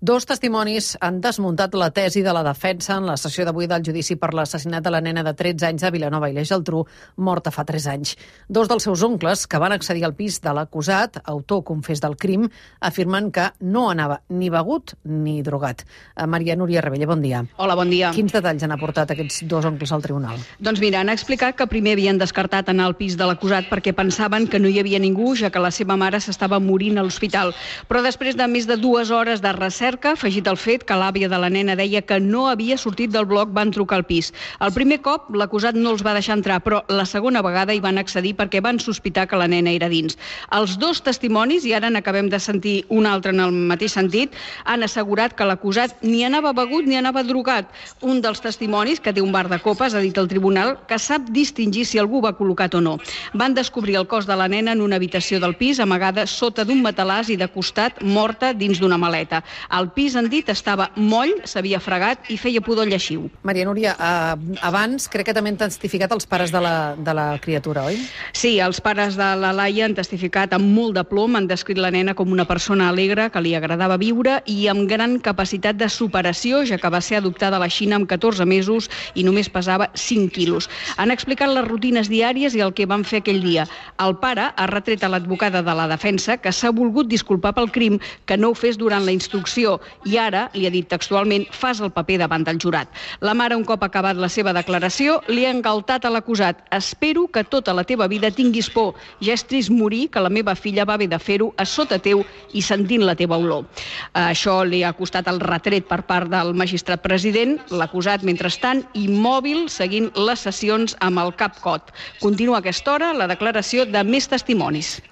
Dos testimonis han desmuntat la tesi de la defensa en la sessió d'avui del judici per l'assassinat de la nena de 13 anys de Vilanova i la Geltrú, morta fa 3 anys. Dos dels seus oncles, que van accedir al pis de l'acusat, autor confés del crim, afirmen que no anava ni begut ni drogat. Maria Núria Rebella, bon dia. Hola, bon dia. Quins detalls han aportat aquests dos oncles al tribunal? Doncs mira, han explicat que primer havien descartat anar al pis de l'acusat perquè pensaven que no hi havia ningú, ja que la seva mare s'estava morint a l'hospital. Però després de més de 2 hores de recerca, afegit el fet que l'àvia de la nena deia que no havia sortit del bloc, van trucar al pis. El primer cop l'acusat no els va deixar entrar, però la segona vegada hi van accedir perquè van sospitar que la nena era dins. Els dos testimonis, i ara n'acabem de sentir un altre en el mateix sentit, han assegurat que l'acusat ni anava begut ni anava drogat. Un dels testimonis, que té un bar de copes, ha dit al tribunal que sap distingir si algú va col·locat o no. Van descobrir el cos de la nena en una habitació del pis, amagada sota d'un matalàs i de costat, morta dins d'una maleta. El pis, han dit, estava moll, s'havia fregat i feia pudor lleixiu. Maria Núria, abans crec que també han testificat els pares de la criatura, oi? Sí, els pares de la Laia han testificat amb molt de plom, han descrit la nena com una persona alegre, que li agradava viure i amb gran capacitat de superació, ja que va ser adoptada a la Xina amb 14 mesos i només pesava 5 quilos. Han explicat les rutines diàries i el que van fer aquell dia. El pare ha retret a l'advocada de la defensa que s'ha volgut disculpar pel crim, que no ho fes durant la instrucció i ara, li ha dit textualment, fas el paper davant del jurat. La mare, un cop acabat la seva declaració, li ha engaltat a l'acusat. Espero que tota la teva vida tinguis por. Ja és trist morir, que la meva filla va haver de fer-ho a sota teu i sentint la teva olor. Això li ha costat el retret per part del magistrat president. L'acusat, mentrestant, immòbil, seguint les sessions amb el cap cot. Continua a aquesta hora la declaració de més testimonis.